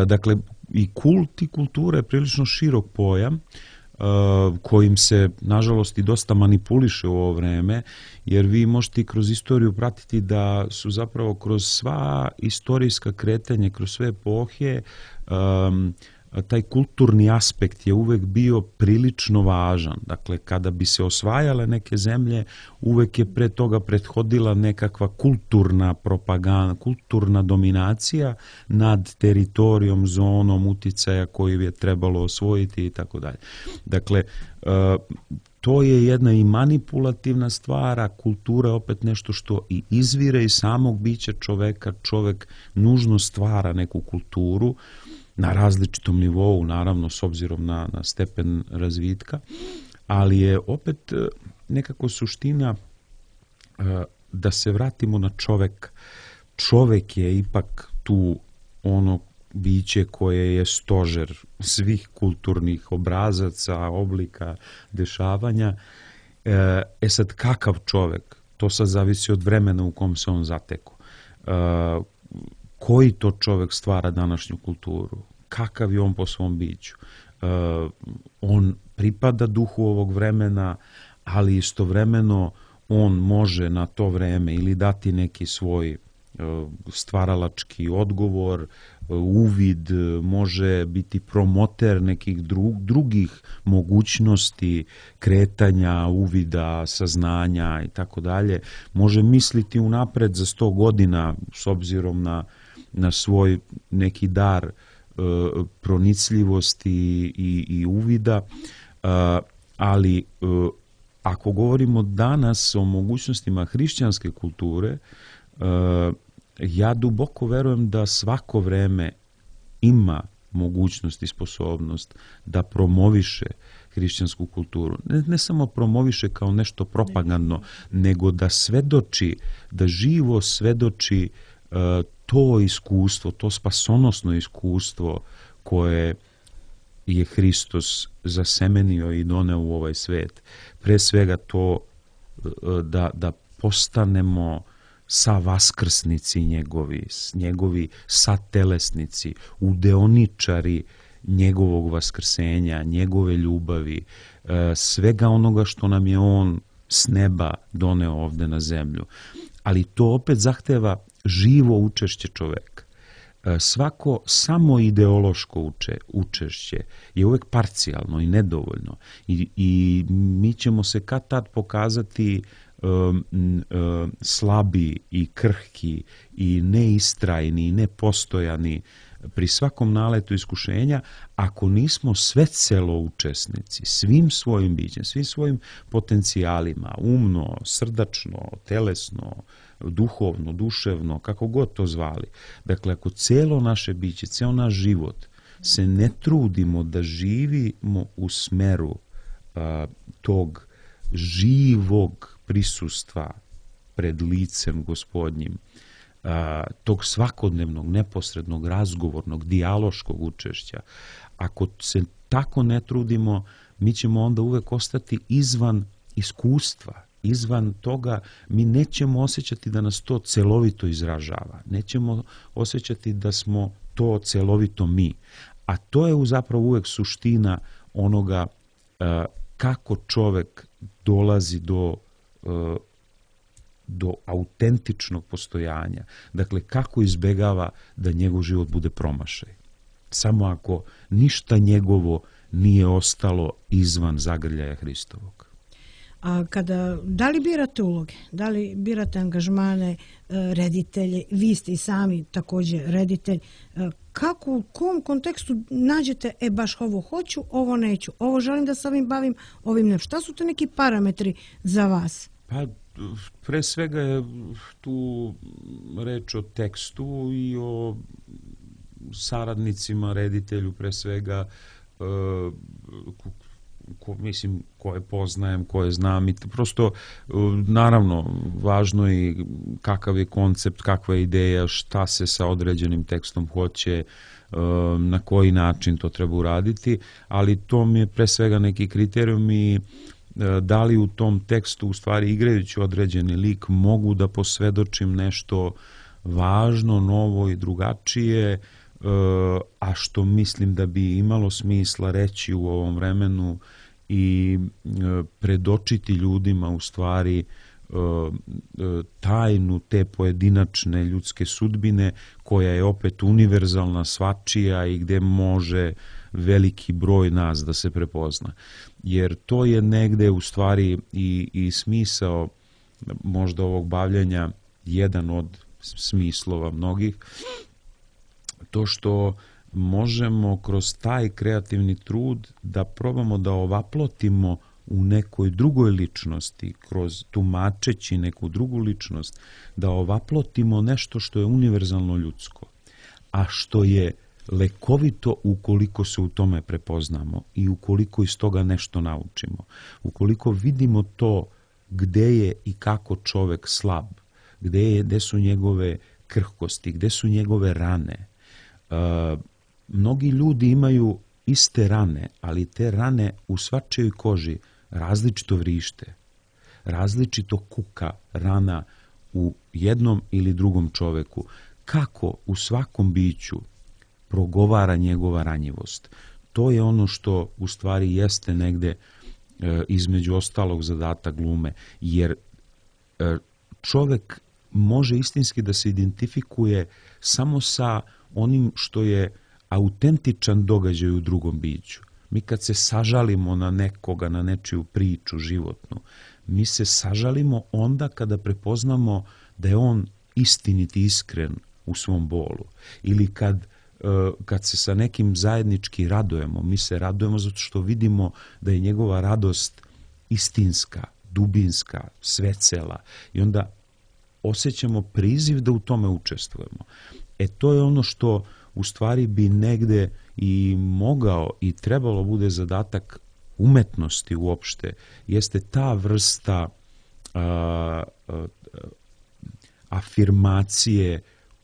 Dakle, i kult i kultura je prilično širok pojam, kojim se, nažalost, i dosta manipuliše u ovo vreme, jer vi možete kroz istoriju pratiti da su zapravo kroz sva istorijska kretanja, kroz sve epohe, um, taj kulturni aspekt je uvek bio prilično važan. Dakle, kada bi se osvajale neke zemlje, uvek je pre toga prethodila nekakva kulturna propaganda, kulturna dominacija nad teritorijom, zonom uticaja koju je trebalo osvojiti i tako dalje. Dakle, to je jedna i manipulativna stvar, a kultura je opet nešto što i izvire iz samog bića čoveka. Čovek nužno stvara neku kulturu na različitom nivou, naravno, s obzirom na, na stepen razvitka, ali je opet nekako suština da se vratimo na čovek. Čovek je ipak tu ono biće koje je stožer svih kulturnih obrazaca, oblika, dešavanja. E sad, kakav čovek? To sad zavisi od vremena u kom se on zateko. E, koji to čovek stvara današnju kulturu? Kakav je on po svom biću? E, on pripada duhu ovog vremena, ali istovremeno on može na to vreme ili dati neki svoj stvaralački odgovor, uvid, može biti promoter nekih drugih mogućnosti kretanja, uvida, saznanja i tako dalje. Može misliti unapred za sto godina s obzirom na, na svoj neki dar pronicljivosti i, i uvida, ali ako govorimo danas o mogućnostima hrišćanske kulture, ja duboko verujem da svako vreme ima mogućnost i sposobnost da promoviše hrišćansku kulturu. Ne, ne samo promoviše kao nešto propagandno, nego da svedoči, da živo svedoči uh, to iskustvo, to spasonosno iskustvo koje je Hristos zasemenio i doneo u ovaj svet. Pre svega to uh, da, da postanemo sa vaskrsnici njegovi, njegovi satelesnici, udeoničari njegovog vaskrsenja, njegove ljubavi, svega onoga što nam je on s neba doneo ovde na zemlju. Ali to opet zahteva živo učešće čoveka. Svako samo ideološko uče, učešće je uvek parcijalno i nedovoljno. I, i mi ćemo se kad tad pokazati slabi i krhki i neistrajni i nepostojani pri svakom naletu iskušenja, ako nismo svecelo učesnici svim svojim bićem, svim svojim potencijalima, umno, srdačno, telesno, duhovno, duševno, kako god to zvali. Dakle, ako celo naše biće, ceo naš život se ne trudimo da živimo u smeru a, tog živog prisustva pred licem Gospodnjim, tog svakodnevnog, neposrednog, razgovornog, dijaloškog učešća. Ako se tako ne trudimo, mi ćemo onda uvek ostati izvan iskustva, izvan toga, mi nećemo osjećati da nas to celovito izražava, nećemo osjećati da smo to celovito mi. A to je zapravo uvek suština onoga kako čovek dolazi do do autentičnog postojanja. Dakle, kako izbegava da njegov život bude promašaj. Samo ako ništa njegovo nije ostalo izvan zagrljaja Hristovog. A kada, da li birate uloge? Da li birate angažmane, reditelje? Vi ste i sami također reditelj. Kako, u kom kontekstu nađete, e baš ovo hoću, ovo neću, ovo želim da se ovim bavim, ovim ne. Šta su to neki parametri za vas? Pa, pre svega je tu reč o tekstu i o saradnicima, reditelju pre svega, ko, mislim, koje poznajem, koje znam i prosto, naravno, važno je kakav je koncept, kakva je ideja, šta se sa određenim tekstom hoće, na koji način to treba uraditi, ali to mi je pre svega neki kriterijum i da li u tom tekstu, u stvari igrajući određeni lik, mogu da posvedočim nešto važno, novo i drugačije, a što mislim da bi imalo smisla reći u ovom vremenu i predočiti ljudima u stvari tajnu te pojedinačne ljudske sudbine koja je opet univerzalna, svačija i gde može veliki broj nas da se prepozna. Jer to je negde u stvari i, i smisao možda ovog bavljenja, jedan od smislova mnogih, to što možemo kroz taj kreativni trud da probamo da ovaplotimo u nekoj drugoj ličnosti, kroz tumačeći neku drugu ličnost, da ovaplotimo nešto što je univerzalno ljudsko, a što je lekovito ukoliko se u tome prepoznamo i ukoliko iz toga nešto naučimo. Ukoliko vidimo to gde je i kako čovek slab, gde, je, gde su njegove krhkosti, gde su njegove rane. Uh, mnogi ljudi imaju iste rane, ali te rane u svačijoj koži različito vrište, različito kuka rana u jednom ili drugom čoveku. Kako u svakom biću progovara njegova ranjivost. To je ono što u stvari jeste negde e, između ostalog zadatak glume, jer e, čovek može istinski da se identifikuje samo sa onim što je autentičan događaj u drugom biću. Mi kad se sažalimo na nekoga, na nečiju priču životnu, mi se sažalimo onda kada prepoznamo da je on istinit i iskren u svom bolu. Ili kad, kad se sa nekim zajednički radujemo, mi se radujemo zato što vidimo da je njegova radost istinska, dubinska, svecela. I onda osjećamo priziv da u tome učestvujemo. E to je ono što u stvari bi negde i mogao i trebalo bude zadatak umetnosti uopšte, jeste ta vrsta a, a, afirmacije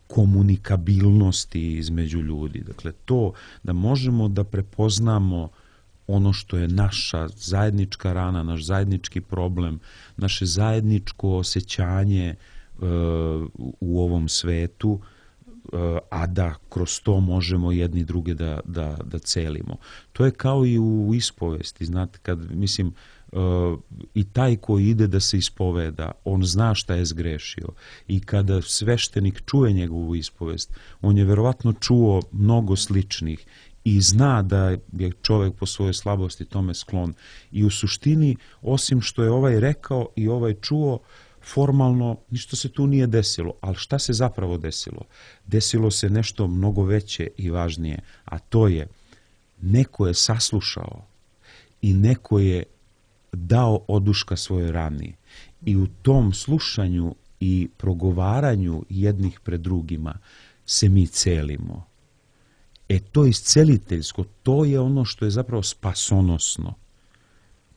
komunikabilnosti između ljudi. Dakle, to da možemo da prepoznamo ono što je naša zajednička rana, naš zajednički problem, naše zajedničko osjećanje uh, u ovom svetu, uh, a da kroz to možemo jedni druge da, da, da celimo. To je kao i u ispovesti, znate, kad, mislim, Uh, i taj koji ide da se ispoveda, on zna šta je zgrešio. I kada sveštenik čuje njegovu ispovest, on je verovatno čuo mnogo sličnih i zna da je čovek po svojoj slabosti tome sklon. I u suštini, osim što je ovaj rekao i ovaj čuo, formalno ništa se tu nije desilo. Ali šta se zapravo desilo? Desilo se nešto mnogo veće i važnije, a to je neko je saslušao i neko je dao oduška svojoj rani. I u tom slušanju i progovaranju jednih pred drugima se mi celimo. E to isceliteljsko, to je ono što je zapravo spasonosno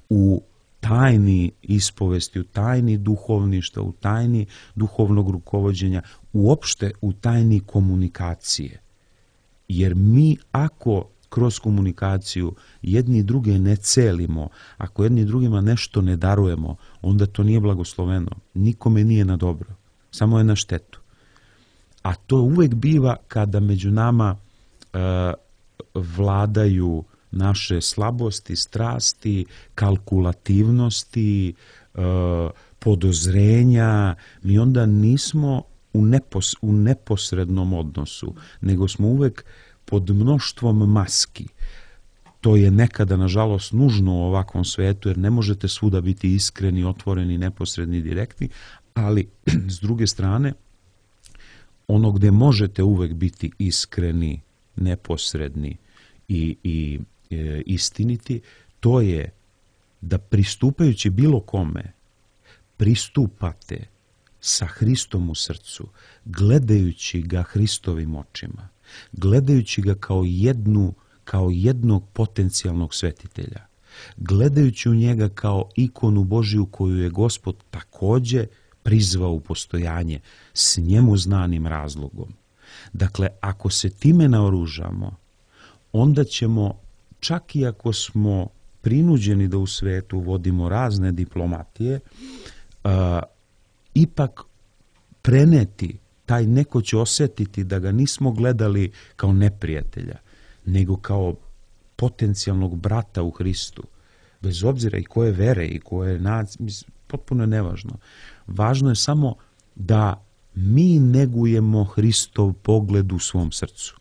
u tajni ispovesti, u tajni duhovništva, u tajni duhovnog rukovođenja, uopšte u tajni komunikacije. Jer mi ako kroz komunikaciju jedni druge ne celimo, ako jedni drugima nešto ne darujemo, onda to nije blagosloveno. Nikome nije na dobro, samo je na štetu. A to uvek biva kada među nama e, vladaju naše slabosti, strasti, kalkulativnosti, e, podozrenja. Mi onda nismo u, nepos, u neposrednom odnosu, nego smo uvek pod mnoštvom maski. To je nekada, nažalost, nužno u ovakvom svetu, jer ne možete svuda biti iskreni, otvoreni, neposredni, direktni, ali s druge strane, ono gde možete uvek biti iskreni, neposredni i, i e, istiniti, to je da pristupajući bilo kome, pristupate sa Hristom u srcu, gledajući ga Hristovim očima, gledajući ga kao jednu, kao jednog potencijalnog svetitelja, gledajući u njega kao ikonu Božiju koju je Gospod takođe prizvao u postojanje s njemu znanim razlogom. Dakle, ako se time naoružamo, onda ćemo, čak i ako smo prinuđeni da u svetu vodimo razne diplomatije, a, ipak preneti, taj neko će osjetiti da ga nismo gledali kao neprijatelja, nego kao potencijalnog brata u Hristu. Bez obzira i koje vere i koje nacije, potpuno je nevažno. Važno je samo da mi negujemo Hristov pogled u svom srcu.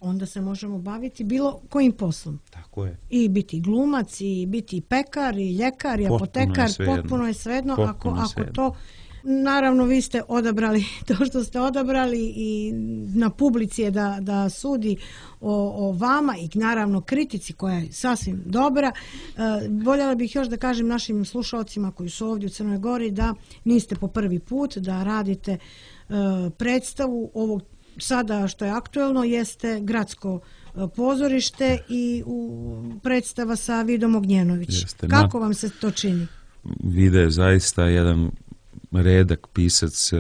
onda se možemo baviti bilo kojim poslom. Tako je. I biti glumac, i biti pekar, i ljekar, i apotekar, potpuno je svejedno. Ako, ako to, naravno vi ste odabrali to što ste odabrali i na publici je da, da sudi o, o vama i naravno kritici koja je sasvim dobra. E, voljela bih još da kažem našim slušalcima koji su ovdje u Crnoj Gori da niste po prvi put, da radite e, predstavu ovog sada što je aktuelno jeste Gradsko pozorište i u predstava sa Vidom Ognjenović. Jeste, kako vam se to čini? Vida je zaista jedan redak pisac,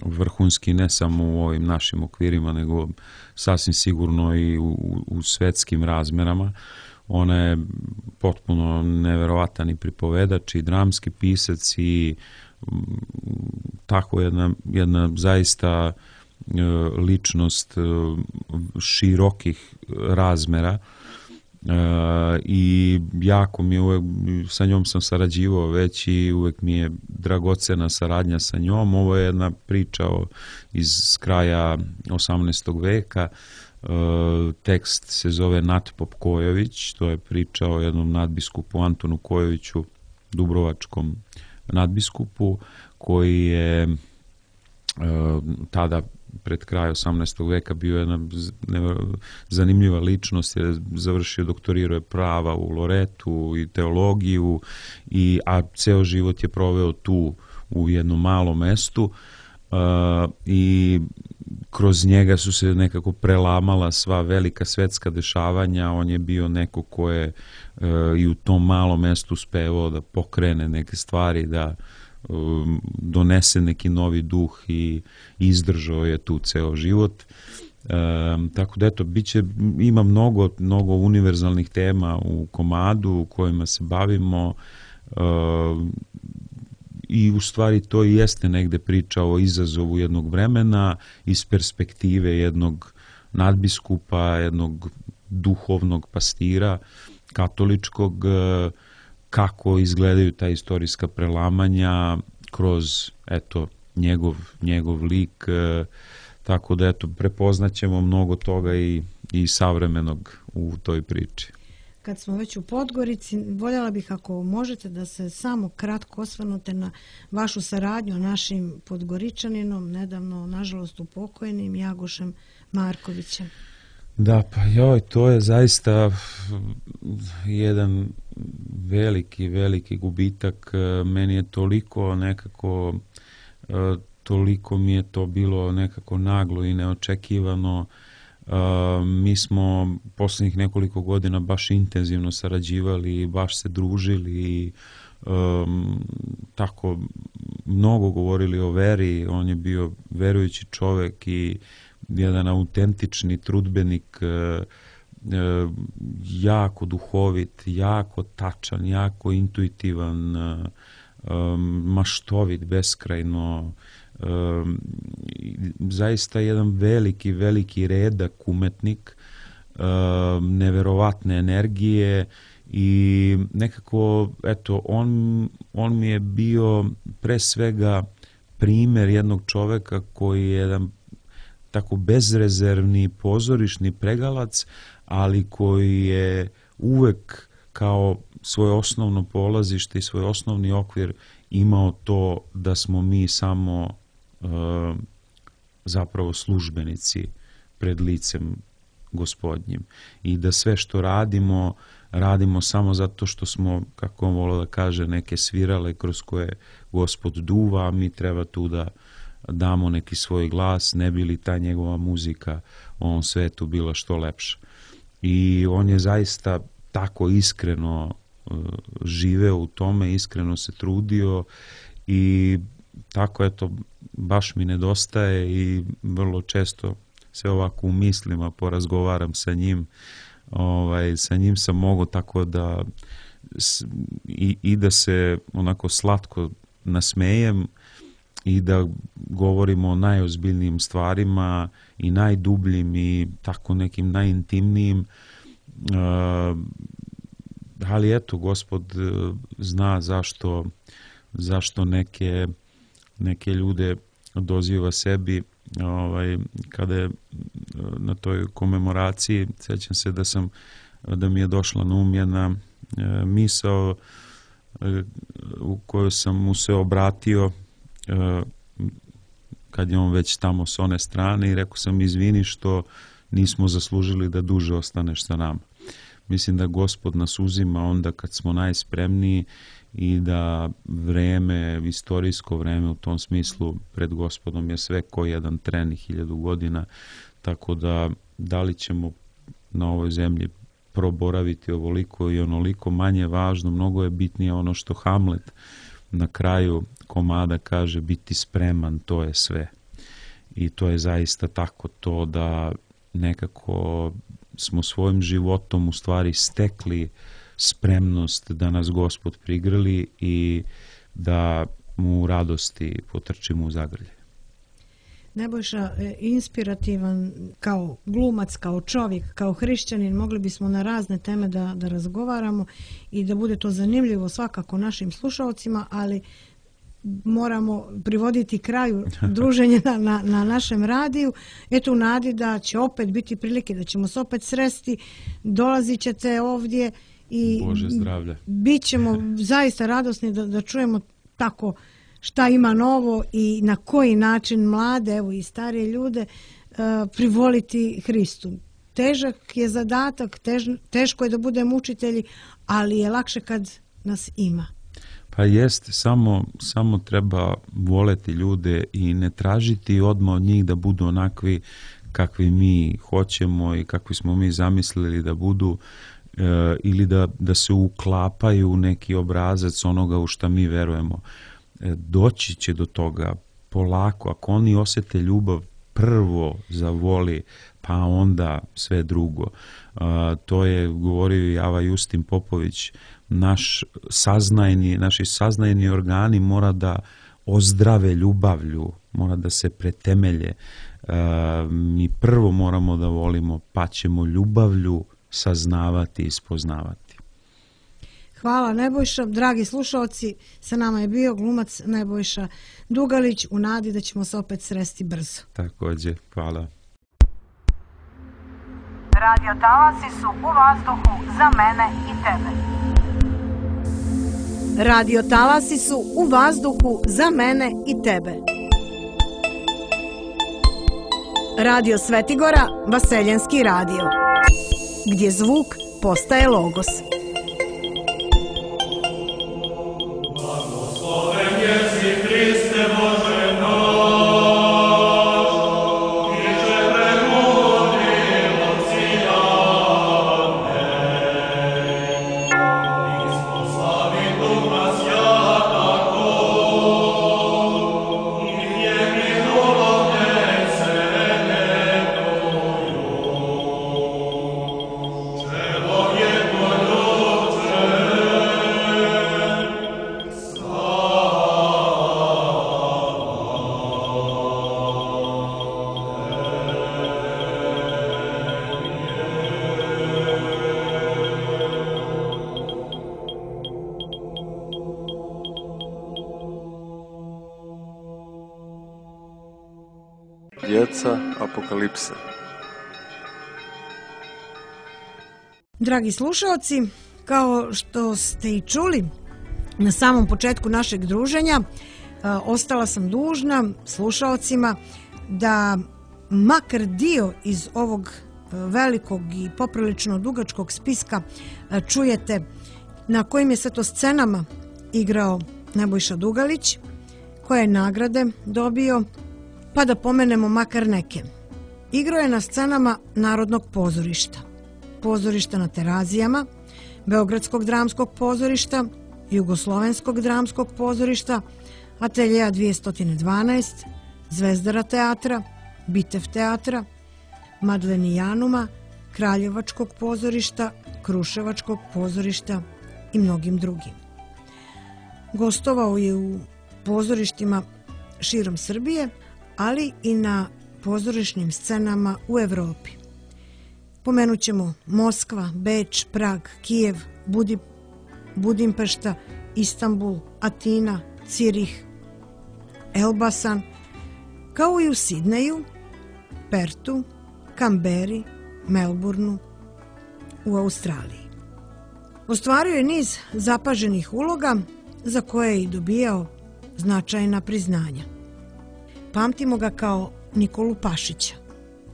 vrhunski ne samo u ovim našim okvirima, nego sasvim sigurno i u, u svetskim razmerama. Ona je potpuno neverovatan i pripovedač i dramski pisac i tako jedna, jedna zaista ličnost širokih razmera i jako mi je uvek, sa njom sam sarađivao već i uvek mi je dragocena saradnja sa njom. Ovo je jedna priča iz kraja osamnaestog veka. Tekst se zove Natpop Kojović, to je priča o jednom nadbiskupu Antonu Kojoviću, dubrovačkom nadbiskupu, koji je tada pred kraj osamnaestog veka bio jedna zanimljiva ličnost, je završio, doktorirao je prava u Loretu i teologiju, i, a ceo život je proveo tu u jednom malom mestu uh, i kroz njega su se nekako prelamala sva velika svetska dešavanja. On je bio neko ko je uh, i u tom malom mestu uspevao da pokrene neke stvari, da donese neki novi duh i izdržao je tu ceo život. E, tako da eto, biće, ima mnogo, mnogo univerzalnih tema u komadu u kojima se bavimo e, i u stvari to i jeste negde priča o izazovu jednog vremena iz perspektive jednog nadbiskupa, jednog duhovnog pastira katoličkog, kako izgledaju ta istorijska prelamanja kroz eto njegov, njegov lik, e, tako da eto prepoznaćemo mnogo toga i, i savremenog u toj priči. Kad smo već u Podgorici, voljela bih ako možete da se samo kratko osvrnute na vašu saradnju našim Podgoričaninom, nedavno nažalost upokojnim Jagošem Markovićem. Da, pa joj, to je zaista jedan veliki, veliki gubitak. Meni je toliko nekako, toliko mi je to bilo nekako naglo i neočekivano. Mi smo posljednjih nekoliko godina baš intenzivno sarađivali i baš se družili i um, tako mnogo govorili o veri. On je bio verujući čovek i jedan autentični trudbenik, jako duhovit, jako tačan, jako intuitivan, maštovit, beskrajno, zaista jedan veliki, veliki redak umetnik, neverovatne energije i nekako, eto, on, on mi je bio pre svega primer jednog čoveka koji je jedan tako bezrezervni pozorišni pregalac, ali koji je uvek kao svoje osnovno polazište i svoj osnovni okvir imao to da smo mi samo e, zapravo službenici pred licem Gospodnjim i da sve što radimo, radimo samo zato što smo, kako on volio da kaže, neke svirale kroz koje Gospod duva, a mi treba tu da damo neki svoj glas, ne bi li ta njegova muzika u ovom svetu bila što lepša. I on je zaista tako iskreno uh, živeo u tome, iskreno se trudio i tako, eto, baš mi nedostaje i vrlo često se ovako u mislima porazgovaram sa njim. Ovaj, sa njim sam mogao tako da i, i da se onako slatko nasmejem i da govorimo o najozbiljnijim stvarima i najdubljim i tako nekim najintimnijim. Uh, ali eto, Gospod zna zašto, zašto neke, neke ljude odoziva sebi. Ovaj, kada je na toj komemoraciji, sjećam se da sam da mi je došla na um jedna e, misao e, u kojoj sam mu se obratio e, kad je on već tamo s one strane i rekao sam izvini što nismo zaslužili da duže ostaneš sa nama. Mislim da Gospod nas uzima onda kad smo najspremniji i da vreme, istorijsko vreme u tom smislu pred Gospodom je sve ko jedan tren i hiljadu godina, tako da da li ćemo na ovoj zemlji proboraviti ovoliko i onoliko, manje važno, mnogo je bitnije ono što Hamlet na kraju komada kaže, biti spreman, to je sve. I to je zaista tako, to da nekako smo svojim životom u stvari stekli spremnost da nas Gospod prigrli i da mu u radosti potrčimo u zagrlje. Nebojša, inspirativan kao glumac, kao čovjek, kao hrišćanin, mogli bismo na razne teme da, da razgovaramo i da bude to zanimljivo svakako našim slušalcima, ali moramo privoditi kraju druženja na, na, na našem radiju. Eto u nadi da će opet biti prilike, da ćemo se opet sresti, dolazit ćete ovdje i Bože zdravlje. Bit ćemo zaista radosni da, da čujemo tako šta ima novo i na koji način mlade, evo i starije ljude, uh, privoliti Hristu. Težak je zadatak, tež, teško je da budemo učitelji, ali je lakše kad nas ima. Pa jest, samo, samo treba voleti ljude i ne tražiti odmah od njih da budu onakvi kakvi mi hoćemo i kakvi smo mi zamislili da budu, e, ili da, da se uklapaju u neki obrazac onoga u šta mi verujemo. E, doći će do toga polako, ako oni osjete ljubav prvo zavoli, pa onda sve drugo. E, to je govorio i Java Justin Popović, naš saznajni, naši saznajni organi mora da ozdrave ljubavlju, mora da se pretemelje. E, mi prvo moramo da volimo, pa ćemo ljubavlju saznavati i spoznavati. Hvala Nebojša. Dragi slušalci, sa nama je bio glumac Nebojša Dugalić u nadi da ćemo se opet sresti brzo. Također, hvala. Radio talasi su u vazduhu za mene i tebe. Radio talasi su u vazduhu za mene i tebe. Radio Svetigora, Vaseljenski radio, gdje zvuk postaje logos. Blagosloven jesi Hriste Bože naš. Djeca apokalipse. Dragi slušalci, kao što ste i čuli na samom početku našeg druženja, ostala sam dužna slušalcima da makar dio iz ovog velikog i poprilično dugačkog spiska čujete na kojim je sve to scenama igrao Nebojša Dugalić, koje je nagrade dobio, pa da pomenemo makar neke. Igrao je na scenama Narodnog pozorišta, pozorišta na Terazijama, Beogradskog dramskog pozorišta, Jugoslovenskog dramskog pozorišta, Ateljeja dvjesto dvanaest, Zvezdara teatra, Bitev teatra, Madlenijanuma, Kraljevačkog pozorišta, Kruševačkog pozorišta i mnogim drugim. Gostovao je u pozorištima širom Srbije, ali i na pozorišnim scenama u Evropi. Pomenut ćemo Moskva, Beč, Prag, Kijev, Budi, Budimpešta, Istanbul, Atina, Cirih, Elbasan, kao i u Sidneju, Pertu, Kamberi, Melbourneu u Australiji. Ostvario je niz zapaženih uloga za koje je i dobijao značajna priznanja. Pamtimo ga kao Nikolu Pašića,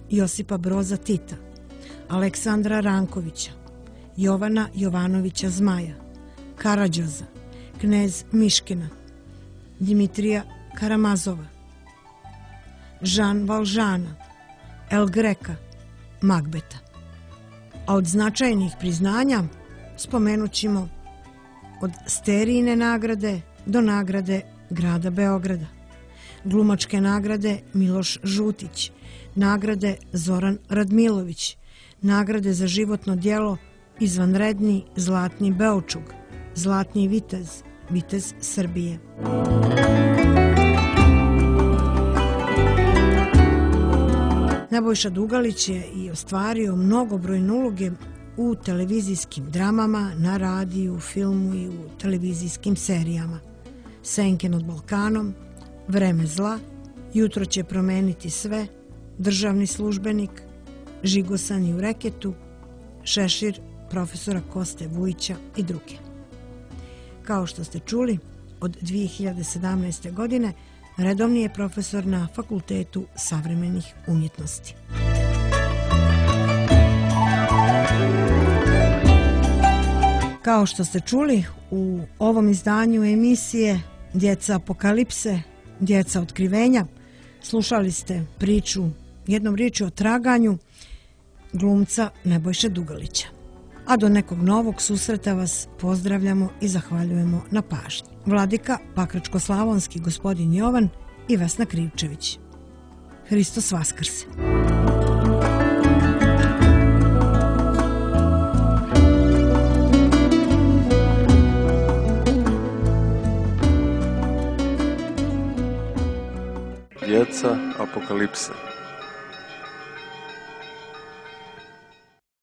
Josipa Broza Tita, Aleksandra Rankovića, Jovana Jovanovića Zmaja, Karađoza, knez Miškina, Dimitrija Karamazova, Jean Valjeana, El Greka, Magbeta. A od značajnih priznanja spomenut ćemo od Sterijine nagrade do nagrade grada Beograda, glumačke nagrade Miloš Žutić, nagrade Zoran Radmilović, nagrade za životno djelo Izvanredni Zlatni Beočug, Zlatni vitez, vitez Srbije. Nebojša Dugalić je i ostvario mnogobrojne uloge u televizijskim dramama, na radiju, filmu i u televizijskim serijama. Senke nad Balkanom, Vreme zla, Jutro će promeniti sve, Državni službenik, Žigosani u reketu, Šešir profesora Koste Vujića i druge. Kao što ste čuli, od dvije hiljade sedamnaeste. godine redovni je profesor na Fakultetu savremenih umjetnosti. Kao što ste čuli, u ovom izdanju emisije Djeca apokalipse, Djeca otkrivenja, slušali ste priču, jednom riječju o traganju glumca Nebojše Dugalića. A do nekog novog susreta vas pozdravljamo i zahvaljujemo na pažnji. Vladika Pakračko-slavonski gospodin Jovan i Vesna Krivčević. Hristos Vaskrse! Djeca apokalipse.